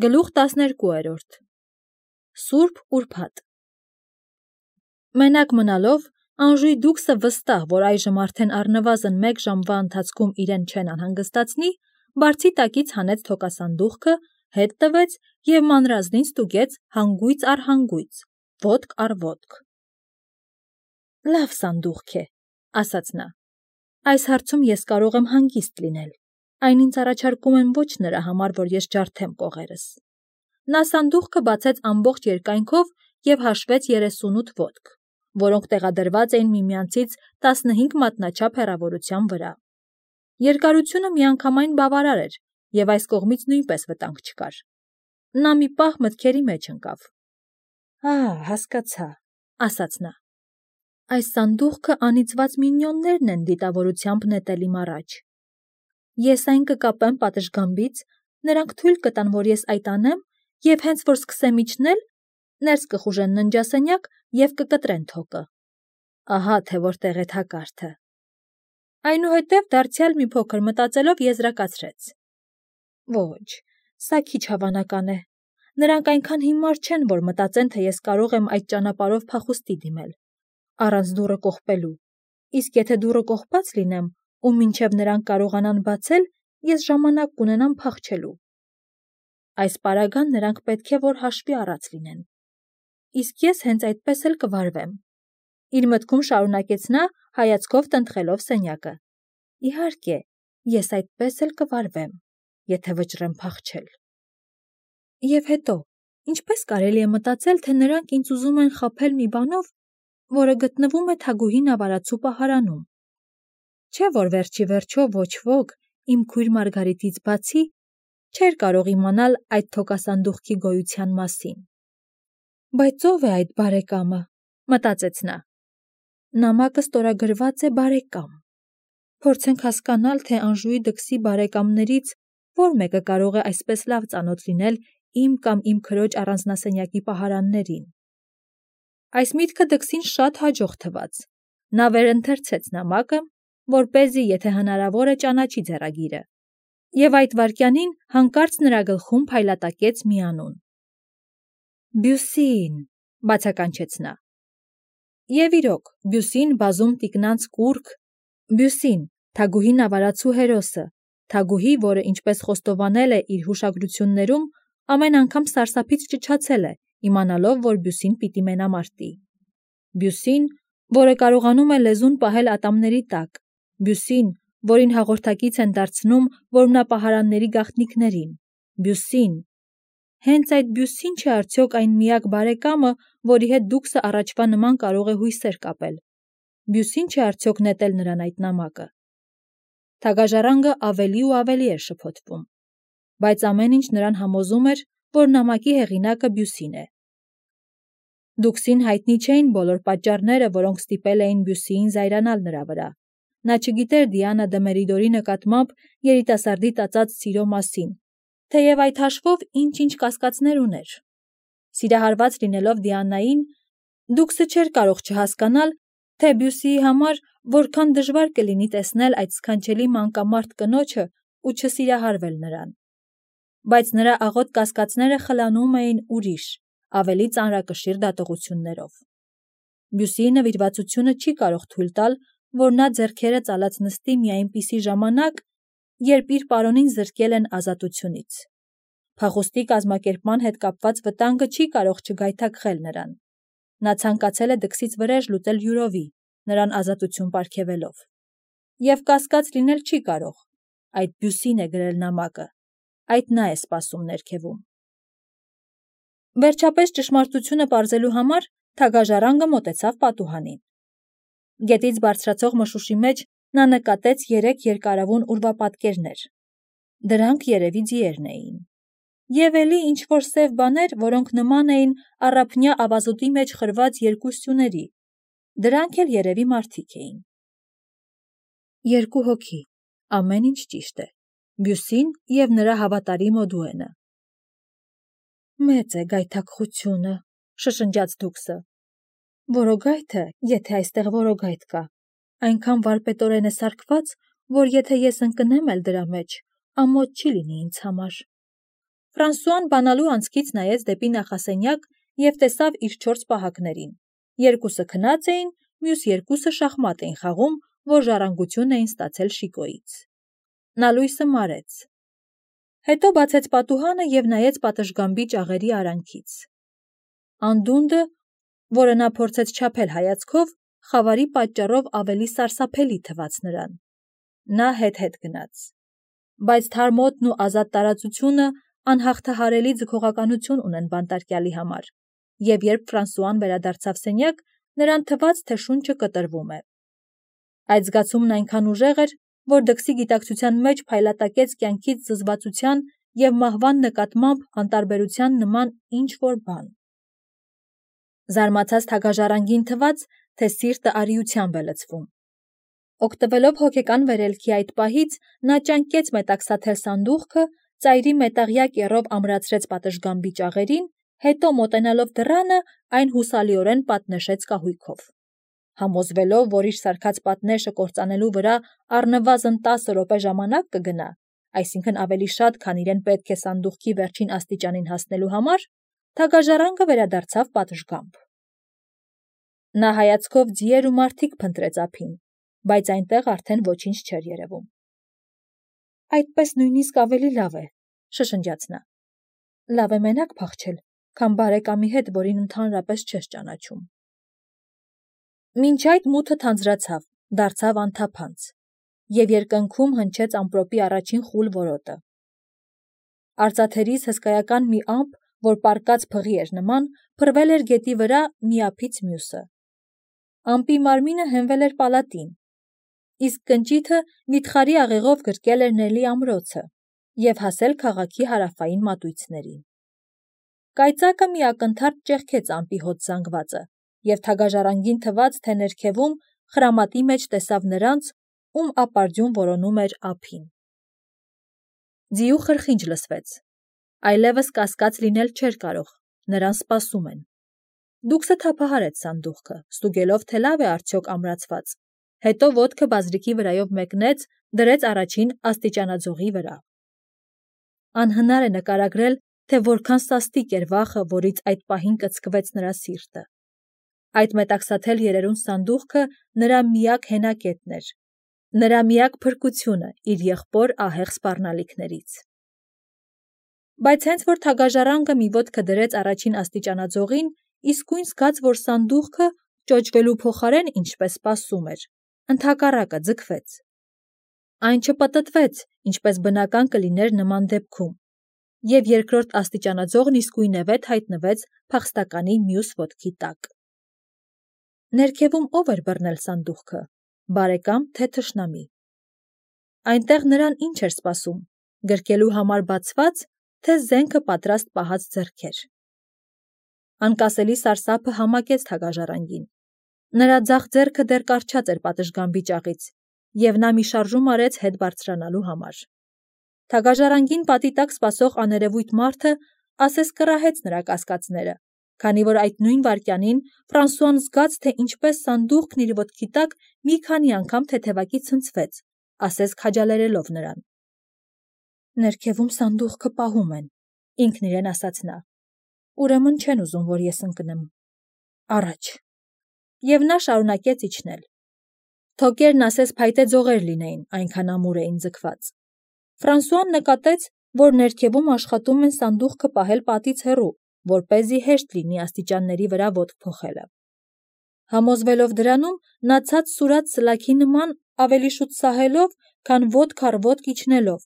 Գլուխ 12 Սուրբ Ուրբաթ Մենակ մնալով, Անժուի դուքսը վստահ, որ այժմ արդեն առնվազն 1 ժամվա ընթացքում իրեն չեն անհանգստացնի, բարձի տակից հանեց թոկասանդուղքը, հետ տվեց և մանրազնին ստուգեց հանգույց առ հանգույց, ոտք առ ոտք։ Լավ սանդուղք է, ասաց նա, այս հարցում ես կարող եմ հանգիստ լինել, այն ինձ առաջարկում են ոչ նրա համար, որ ես ջարդեմ կողերս։ Նա սանդուղքը բացեց ամբողջ երկայնքով և հաշվեց 38 ոտք, որոնք տեղադրված էին միմյանցից 15 մատնաչափ հեռավորության վրա։ Երկարությունը միանգամայն բավարար էր, և այս կողմից նույնպես վտանգ չկար։ Նա մի պահ մտքերի մեջ ընկավ։ Հասկացա, ասաց նա։ Այս սանդուղքը անիծված մինյոններն են դիտավորությամբ նետել իմ առաջ։ Ես այն կկապեմ պատշգամբից, նրանք թույլ կտան, որ ես այդ անեմ, և հենց որ սկսեմ իջնել, ներս կխուժեն ննջասենյակ և կկտրեն թոկը։ Ահա թե որտեղ է թակարդը։ Այնուհետև դարձյալ մի փոքր մտածելով եզրակացրեց. Ոչ, սա քիչ հավանական է։ Նրանք այնքան հիմար չեն, որ մտածեն, թե ես կարող եմ այդ ճանապարհով փախուստի դիմել, առանց դուռը կողպելու, իսկ եթե դուռը կողպած լինեմ, ու մինչև նրանք կարողանան բացել, ես ժամանակ կունենամ փախչելու։ Այս պարագան նրանք պետք է որ հաշվի առած լինեն։ Իսկ ես հենց այդպես էլ կվարվեմ։ Իր մտքում շարունակեց նա, հայացքով տնտղելով սենյակը։ Իհարկե, ես այդպես էլ կվարվեմ, եթե վճռեմ փախչել։ Եվ հետո, ինչպես կարելի է մտածել, թե նրանք ինձ ուզում են խաբել մի բանով, որը գտնվում է Թագուհի Նավարացու պահարանում։ Չէ՞ որ վերջի վերջո ոչ ոք, իմ քույր Մարգարիտից բացի, չէր կարող իմանալ այդ թոկասանդուղքի գոյության մասին։ Բայց ո՞վ է այդ բարեկամը, մտածեց նա։ Նամակը ստորագրված է բարեկամ։ Փորձենք հասկանալ, թե Անժուի դքսի բարեկամներից որ մեկը կարող է այսպես լավ ծանոթ լինել իմ կամ իմ քրոջ առանձնասենյակի պահարաններին։ Այս միտքը դքսին շատ հաջող թվաց։ Նա վերընթերցեց նամակը, որպեսզի, եթե հնարավոր է, ճանաչի ձեռագիրը, և այդ վայրկյանին հանկարծ նրա գլխում փայլատակեց մի անուն։ Բյուսին, բացականչեց նա։ Եվ իրոք, Բյուսին բազում տիկնանց կուռք, Բյուսին, Թագուհի Նավարացու հերոսը, Թագուհի, որը ինչպես խոստովանել է իր հուշագրություններում, ամեն անգամ սարսափից ճչացել է, իմանալով, որ Բյուսին պիտի մենամարտի։ Բյուսին, որը կարողանում է լեզուն պահել ատամների տակ, Բյուսին, որին հաղորդակից են դարձնում որմնապահարանների գաղտնիքներին, Բյուսին։ Հենց այդ Բյուսին չէ արդյոք այն միակ բարեկամը, որի հետ դուքսը առաջվա նման կարող է հույսեր կապել։ Բյուսին չէ արդյոք նետել նրան այդ նամակը։ Թագաժառանգը ավելի ու ավելի էր շփոթվում, բայց ամեն ինչ նրան համոզում էր, որ նամակի հեղինակը Բյուսին է։ Դուքսին հայտնի չէին բոլոր պատճառները, որոնք ստիպել էին Բյուսիին զայրանալ նրա վրա։ Նա չգիտեր Դիանա դը Մերիդորի նկատմամբ երիտասարդի տածած սիրո մասին, թեև այդ հաշվով ինչ-ինչ կասկածներ ուներ։ Սիրահարված լինելով Դիանային, դուքսը չէր կարող չհասկանալ, թե Բյուսիի համար որքան դժվար կլինի տեսնել այդ սքանչելի մանկամարդ կնոջը ու չսիրահարվել նրան։ Բայց նրա աղոտ կասկածները խլանում էին ուրիշ, ավելի ծանրակշիռ դատողություններով։ Բյուսիի նվիրվածությունը չի կարող թույլ տալ, որ նա ձեռքերը ծալած նստի մի այնպիսի ժամանակ, երբ իր պարոնին զրկել են ազատությունից։ Փախուստի կազմակերպման հետ կապված վտանգը չի կարող չգայթակղել նրան։ Նա ցանկացել է դքսից վրեժ լուծել յուրովի, նրան ազատություն պարգևելով։ Եվ կասկած լինել չի կարող։ Այդ Բյուսին է գրել նամակը, այդ նա է սպասում ներքևում։ Վերջապես ճշմարտությունը պարզելու համար թագաժառանգը մոտեցավ պատուհանին։ Գետից բարձրացող մշուշի մեջ նա նկատեց 3 երկարավուն ուրվապատկերներ։ Դրանք երևի ձիերն էին։ Եվ էլի ինչ-որ սև բաներ, որոնք նման էին առափնյա ավազուտի մեջ խրված 2 սյուների։ Դրանք էլ երևի մարդիկ էին։ 2 հոգի, ամեն ինչ ճիշտ է։ Բյուսին և նրա հավատարիմ Օդուենը։ Մեծ է գայթակղությունը, շշնջաց դուքսը։ Որոգայթը, եթե այստեղ որոգայթ կա, այնքան վարպետորեն է սարքված, որ եթե ես ընկնեմ էլ դրա մեջ, ամոթ չի լինի ինձ համար։ Ֆրանսուան բանալու անցքից նայեց դեպի նախասենյակ և տեսավ իր 4 պահակներին. երկուսը քնած էին, մյուս երկուսը շախմատ էին խաղում, որ ժառանգություն էին ստացել Շիկոյից։ Նա լույսը մարեց։ Հետո բացեց պատուհանը և նայեց պատշգամբի ճաղերի արանքից։ Անդունդը, որը նա փորձեց չափել հայացքով, խավարի պատճառով ավելի սարսափելի թվաց նրան։ Նա հետ-հետ գնաց։ Բայց թարմոտն ու ազատ տարածությունը անհաղթահարելի ձգողականություն ունեն բանտարկյալի համար, և երբ Ֆրանսուան վերադարձավ սենյակ, նրան թվաց, թե շունչը կտրվում է։ Այդ զգացումն այնքան ուժեղ էր, որ դքսի գիտակցության մեջ փայլատակեց կյանքից զզվացության և մահվան նկատմամբ անտարբերության նման ինչ-որ բան։ Զարմացած թագաժառանգին թվաց, թե սիրտը արիությամբ է լցվում։ Օգտվելով հոգեկան վերելքի այդ պահից, նա ճանկեց մետաքսաթել սանդուղքը, ծայրի մետաղյա կեռով ամրացրեց պատշգամբի ճաղերին, հետո մոտենալով դռանը, այն հուսալիորեն պատնեշեց կահույքով։ Համոզվելով, որ իր սարքած պատնեշը կործանելու վրա առնվազն 10 րոպե ժամանակ կգնա, այսինքն ավելի շատ, քան իրեն պետք է սանդուղքի վերջին աստիճանին հասնելու համար, թագաժառանգը վերադարձավ պատշգամբ։ Նա հայացքով ձիեր ու մարդիկ փնտրեց ափին, բայց այնտեղ արդեն ոչինչ չէր երևում։ Այդպես նույնիսկ ավելի լավ է, շշնջաց նա։ Լավ է մենակ փախչել, քան բարեկամի հետ, որին ընդհանրապես չես ճանաչում։ Մինչ այդ մութը թանձրացավ, դարձավ անթափանց, և երկնքում հնչեց ամպրոպի առաջին խուլ որոտը։ Արծաթերից հսկայական մի ամպ, որ պառկած փղի էր նման, փռվել էր գետի վրա մի ափից մյուսը։ Ամպի մարմինը հենվել էր պալատին, իսկ կնճիթը վիթխարի աղեղով գրկել էր Նելի ամրոցը և հասել քաղաքի հարավային մատույցներին։ Կայծակը մի ակնթարթ ճեղքեց ամպի հոտ զանգվածը, և թագաժառանգին թվաց, թե ներքևում խրամատի մեջ տեսավ նրանց, ում ապարդյուն որոնում էր ափին։ Ձիու խրխինջ լսվեց։ Այլևս կասկած լինել չէր կարող, նրան սպասում են։ Դուքսը թափահարեց սանդուղքը, ստուգելով, թե լավ է արդյոք ամրացված, հետո ոտքը բազրիկի վրայով մեկնեց, դրեց առաջին աստիճանաձողի վրա։ Անհնար է նկարագրել, թե որքան սաստիկ էր վախը, որից այդ պահին կծկվեց նրա սիրտը։ Այդ մետաքսաթել երերուն սանդուղքը նրա միակ հենակետն էր, նրա միակ փրկությունը իր եղբոր ահեղ սպառնալիքներից։ Բայց հենց որ թագաժառանգը մի ոտքը դրեց առաջին աստիճանաձողին, իսկույն զգաց, որ սանդուղքը ճոճվելու փոխարեն, ինչպես սպասում էր, ընդհակառակը ձգվեց։ Այն չպտտվեց, ինչպես բնական կլիներ նման դեպքում, և երկրորդ աստիճանաձողն իսկույնևեթ հայտնվեց փախստականի մյուս ոտքի տակ։ Ներքևում ո՞վ էր բռնել սանդուղքը, բարեկամ թե թշնամի։ Այնտեղ նրան ինչ էր սպասում, գրկելու համար բացված, թե զենքը պատրաստ պահած ձեռքեր։ Անկասելի սարսափը համակեց թագաժառանգին։ Նրա ձախ ձեռքը դեռ կառչած էր պատշգամբի ճաղից, և նա մի շարժում արեց հետ բարձրանալու համար։ Թագաժառանգին պատի տակ սպասող աներևույթ մարդը ասես կռահեց նրա կասկածները, քանի որ այդ նույն վայրկյանին Ֆրանսուան զգաց, թե ինչպես սանդուղքն իր ոտքի տակ մի քանի անգամ թեթևակի ցնցվեց, ասես քաջալերելով նրան։ Ներքևում սանդուղքը պահում են, ինքն իրեն ասաց նա։ Ուրեմն չեն ուզում, որ ես ընկնեմ։ Առաջ։ Եվ նա շարունակեց իջնել։ Թոկերն ասես փայտե ձողեր լինեին, այնքան ամուր էին ձգված։ Ֆրանսուան նկատեց, որ ներքևում աշխատում են սանդուղքը պահել պատից հեռու, որպեսզի հեշտ լինի աստիճանների վրա ոտք փոխելը։ Համոզվելով դրանում, նա ցած սուրաց սլաքի նման ավելի շուտ սահելով, քան ոտք առ ոտք իջնելով,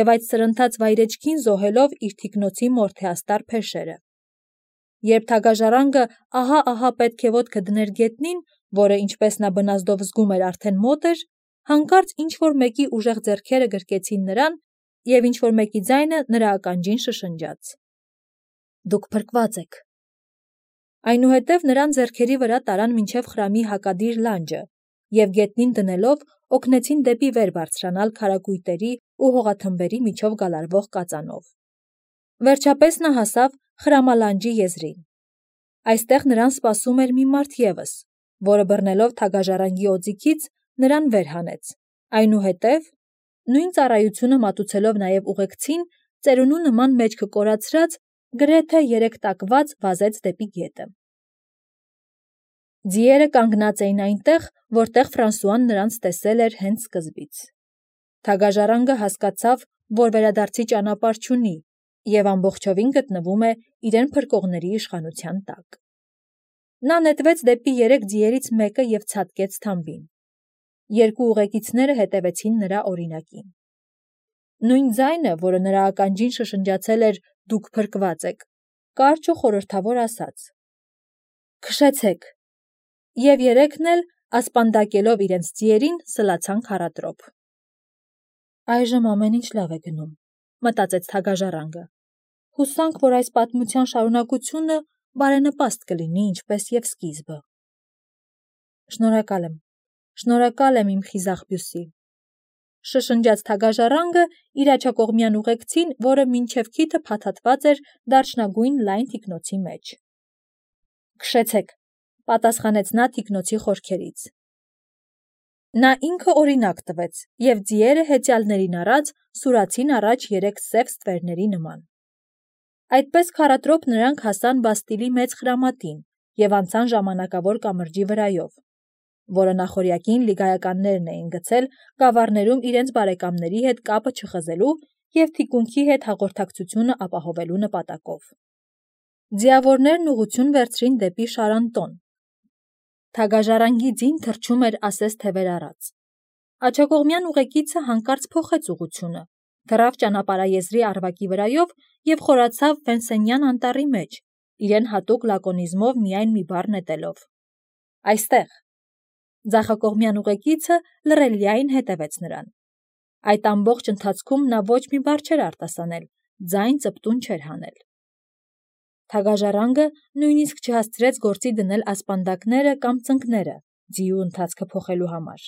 և այդ սրընթաց վայրեջքին զոհելով իր թիկնոցի մորթեաստար փեշերը։ Երբ թագաժառանգը ահա-ահա պետք է ոտքը դներ գետնին, որը, ինչպես նա բնազդով զգում էր, արդեն մոտ էր, հանկարծ ինչ-որ մեկի ուժեղ ձեռքերը գրկեցին նրան, և ինչ-որ մեկի ձայնը նրա ականջին շշնջաց. Դուք փրկված եք։ Այնուհետև նրան ձեռքերի վրա տարան մինչև խրամի հակադիր լանջը, և գետնին դնելով օգնեցին դեպի վեր բարձրանալ քարակույտերի ու հողաթմբերի միջով գալարվող կածանով։ Վերջապես նա հասավ խրամալանջի եզրին։ Այստեղ նրան սպասում էր մի մարդ ևս, որը բռնելով թագաժառանգի օձիքից նրան վեր հանեց, այնուհետև, նույն ծառայությունը մատուցելով նաև ուղեկցին, ծերունու նման մեջքը կորացրած, գրեթե երեքտակված վազեց դեպի գետը։ Ձիերը կանգնած էին այնտեղ, որտեղ Ֆրանսուան նրանց տեսել էր հենց սկզբից։ Թագաժառանգը հասկացավ, որ վերադարձի ճանապարհ չունի և ամբողջովին գտնվում է իրեն փրկողների իշխանության տակ։ Նա նետվեց դեպի 3 ձիերից մեկը և ցատկեց թամբին։ 2 ուղեկիցները հետևեցին նրա օրինակին։ Նույն ձայնը, որը նրա ականջին շշնջացել էր «Դուք փրկված եք», կարճ ու խորհրդավոր ասաց. «Քշեցեք», և 3-ն էլ, ասպանդակելով իրենց ձիերին, սլացան քարադրոփ։ «Այժմ ամեն ինչ լավ է գնում», մտածեց թագաժառանգը։ «Հուսանք, որ այս պատմության շարունակությունը բարենպաստ կլինի, ինչպես և սկիզբը։ Շնորհակալ եմ իմ խիզախ Բյուսի», շշնջաց թագաժառանգը իր աջակողմյան ուղեկցին, որը մինչև քիթը փաթաթված էր դարչնագույն լայն թիկնոցի մեջ։ «Քշեցեք», պատասխանեց նա թիկնոցի խորքերից։ Նա ինքը օրինակ տվեց, և ձիերը հեծյալներին առած սուրացին առաջ 3 սև ստվերների նման։ Այդպես քարադրոփ նրանք հասան Բաստիլի մեծ խրամատին և անցան ժամանակավոր կամրջի վրայով, որը նախօրյակին լիգայականներն էին գցել գավառներում իրենց բարեկամների հետ կապը չխզելու և թիկունքի հետ հաղորդակցությունը ապահովելու նպատակով։ Ձիավորներն ուղղություն վերցրին դեպի Շարանտոն։ Թագաժառանգի ձին թռչում էր ասես թևեր առած։ Աջակողմյան ուղեկիցը հանկարծ փոխեց ուղղությունը, թռավ ճանապարհաեզրի առվակի վրայով և խորացավ Վենսենյան անտառի մեջ, իրեն հատուկ լակոնիզմով միայն մի բառ նետելով. «Այստեղ»։ Ձախակողմյան ուղեկիցը լռելիայն հետևեց նրան։ Այդ ամբողջ ընթացքում նա ոչ մի բառ չէր արտասանել, ձայն ծպտուն չէր հանել։ Թագաժառանգը նույնիսկ չհասցրեց գործի դնել ասպանդակները կամ ծնկները ձիու ընթացքը փոխելու համար։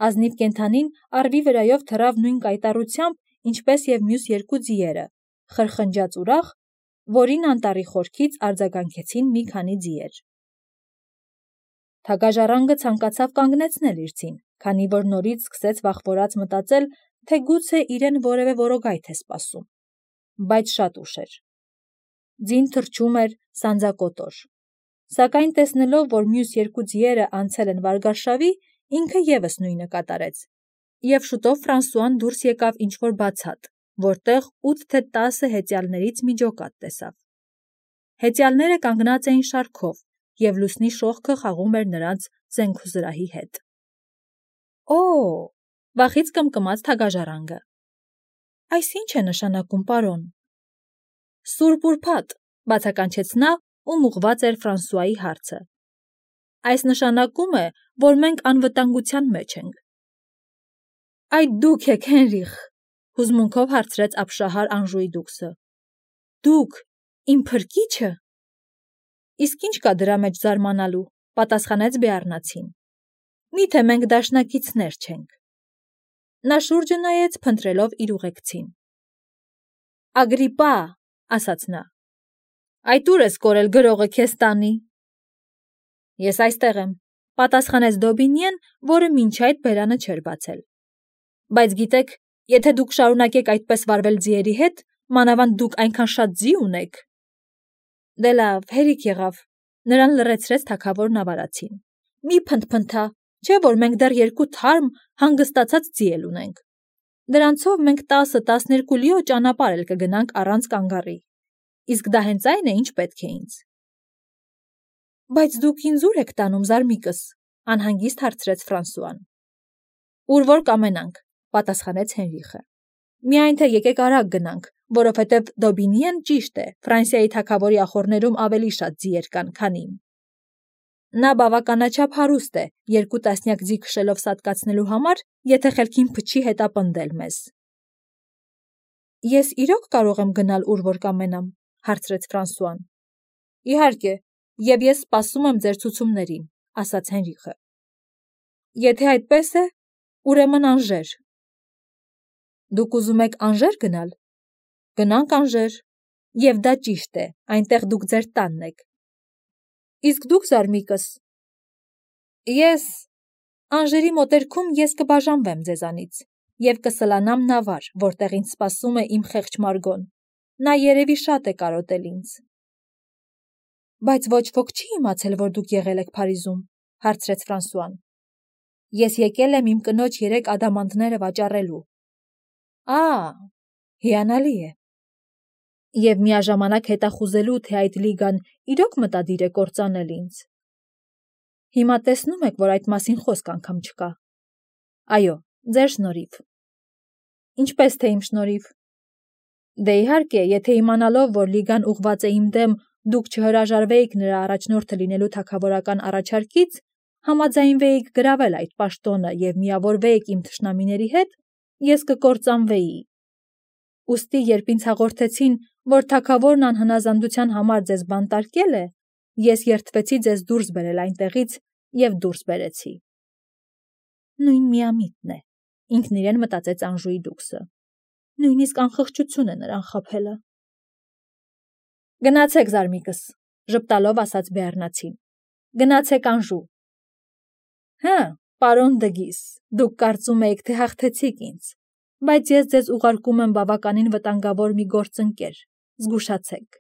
Ազնիվ կենդանին առվի վրայով թռավ նույն կայտառությամբ, ինչպես և մյուս 2 ձիերը, խրխնջաց ուրախ, որին անտառի խորքից արձագանքեցին մի քանի ձիեր։ Թագաժառանգը ցանկացավ կանգնեցնել իր ձին, քանի որ նորից սկսեց վախվորած մտածել, թե գուցե իրեն որևէ որոգայթ է սպասում։ Բայց շատ ուշ էր։ Ձին թռչում էր սանձակոտոր։ Սակայն տեսնելով, որ մյուս 2 ձիերը անցել են վարգարշավի, ինքը ևս նույնը կատարեց, և շուտով Ֆրանսուան դուրս եկավ ինչ-որ բացատ, որտեղ 8 թե 10 հեծյալներից մի ջոկատ տեսավ։ Հեծյալները կանգնած էին շարքով, և լուսնի շողքը խաղում էր նրանց զենքուզրահի հետ։ «Օ՜», վախից կմկմաց թագաժառանգը։ «Այս ի՞նչ է նշանակում, պարոն»։ «Սուրբ ուրբաթ», բացականչեց նա, ում ուղղված էր Ֆրանսուայի հարցը։ «Այս նշանակում է, որ մենք անվտանգության մեջ ենք»։ «Այդ դուք եք, Հենրիխ», հուզմունքով հարցրեց ապշահար Անժուի դուքսը։ «Դուք, իմ փրկի՞չը»։ «Իսկ ի՞նչ կա դրա մեջ զարմանալու», պատասխանեց Բեառնացին։ «Միթե մենք դաշնակիցներ չենք»։ Նա շուրջը նայեց, փնտրելով իր ուղեկցին։ «Ագրիպա», ասաց նա, «այդ ուր ես կորել գրողը քեզ տանի»։ «Ես այստեղ եմ», պատասխանեց Դոբինյեն, որը մինչ այդ բերանը չէր բացել։ «Բայց գիտեք, եթե դուք շարունակեք այդպես վարվել ձիերի հետ, մանավանդ դուք այնքան շատ ձի ունեք»։ «Դե լավ, հերիք եղավ», նրան լռեցրեց թագավոր նավարացին։ «Մի փնթփնթա, չէ՞ որ մենք դեռ 2 թարմ, հանգստացած ձի էլ ունենք։ Դրանցով մենք 10-12 լիո ճանապարհ էլ կգնանք առանց կանգառի։ Իսկ դա հենց այն է, ինչ պետք է ինձ»։ «Բայց դուք ինձ ուր եք տանում, զարմիկս», անհանգիստ հարցրեց Ֆրանսուան։ «Ուր որ կամենանք», պատասխանեց Հենրիխը։ «Միայն թե եկեք արագ գնանք, որովհետև Դոբինիեն ճիշտ է, Ֆրանսիայի թագավորի ախոռներում ավելի շատ ձիեր կան, քան իմ։ Նա բավականաչափ հարուստ է 2 տասնյակ ձի քշելով սատկացնելու համար, եթե խելքին փչի հետապնդել մեզ»։ «Ես իրոք կարող եմ գնալ ուր որ կամենամ», հարցրեց Ֆրանսուան։ «Իհարկե, և ես սպասում եմ ձեր ցուցումներին», ասաց Հենրիխը։ «Եթե այդպես է, ուրեմն Անժեր»։ «Դուք ուզում եք Անժեր գնալ»։ «Գնանք Անժեր, և դա ճիշտ է, այնտեղ դուք ձեր տանն եք»։ «Իսկ դուք, զարմիկս»։ «Ես Անժերի մոտերքում ես կբաժանվեմ ձեզանից, և կսլանամ նավար, որտեղ ինձ սպասում է իմ խեղճ Մարգոն։ Նա երևի շատ է կարոտել ինձ։ Բայց ոչ ոք չի իմացել, որ դուք եղել եք Փարիզում, հարցրեց Ֆրանսուան։ Ես եկել եմ իմ կնոջ 3 ադամանդները վաճառելու։ Հիանալի է։ Եվ միաժամանակ հետախուզելու, թե այդ լիգան իրոք մտադիր է կործանել ինձ։ Հիմա տեսնում եք, որ այդ մասին խոսք անգամ չկա։ Այո, ձեր շնորհիվ։ Ինչպես թե իմ շնորհիվ։ Դե իհարկե, եթե իմանալով, որ լիգան ուղղված է իմ դեմ, դուք չհրաժարվեիք նրա առաջնորդը լինելու թագավորական առաջարկից, համաձայնվեիք գրավել այդ պաշտոնը և միավորվեիք իմ թշնամիների հետ, ես կկործանվեի։ Ուստի, երբ ինձ հաղորդեցին, որ թագավորն անհնազանդության համար ձեզ բանտարկել է, ես երդվեցի ձեզ դուրս բերել այնտեղից և դուրս բերեցի։ Նույն միամիտն է, ինքն իրեն մտածեց Անժուի դուքսը։ Նույնիսկ անխղճություն է նրան խաբելը։ Գնացեք, զարմիկս, ժպտալով ասաց Բեառնացին։ Գնացեք Անժու։ Պարոն Դգիս, դուք կարծում եք, թե հաղթեցիք ինձ, բայց ես ձեզ ուղարկում եմ բավականին վտանգավոր մի գործընկեր, զգուշացեք։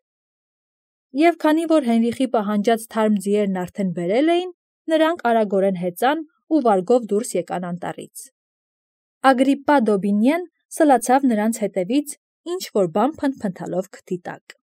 Եվ քանի որ Հենրիխի պահանջած թարմ ձիերն արդեն բերել էին, նրանք արագորեն հեծան ու վարգով դուրս եկան անտառից։ Ագրիպպա Դոբինյեն սլացավ նրանց հետևից, ինչ-որ բան փնթփնթալով քթի տակ։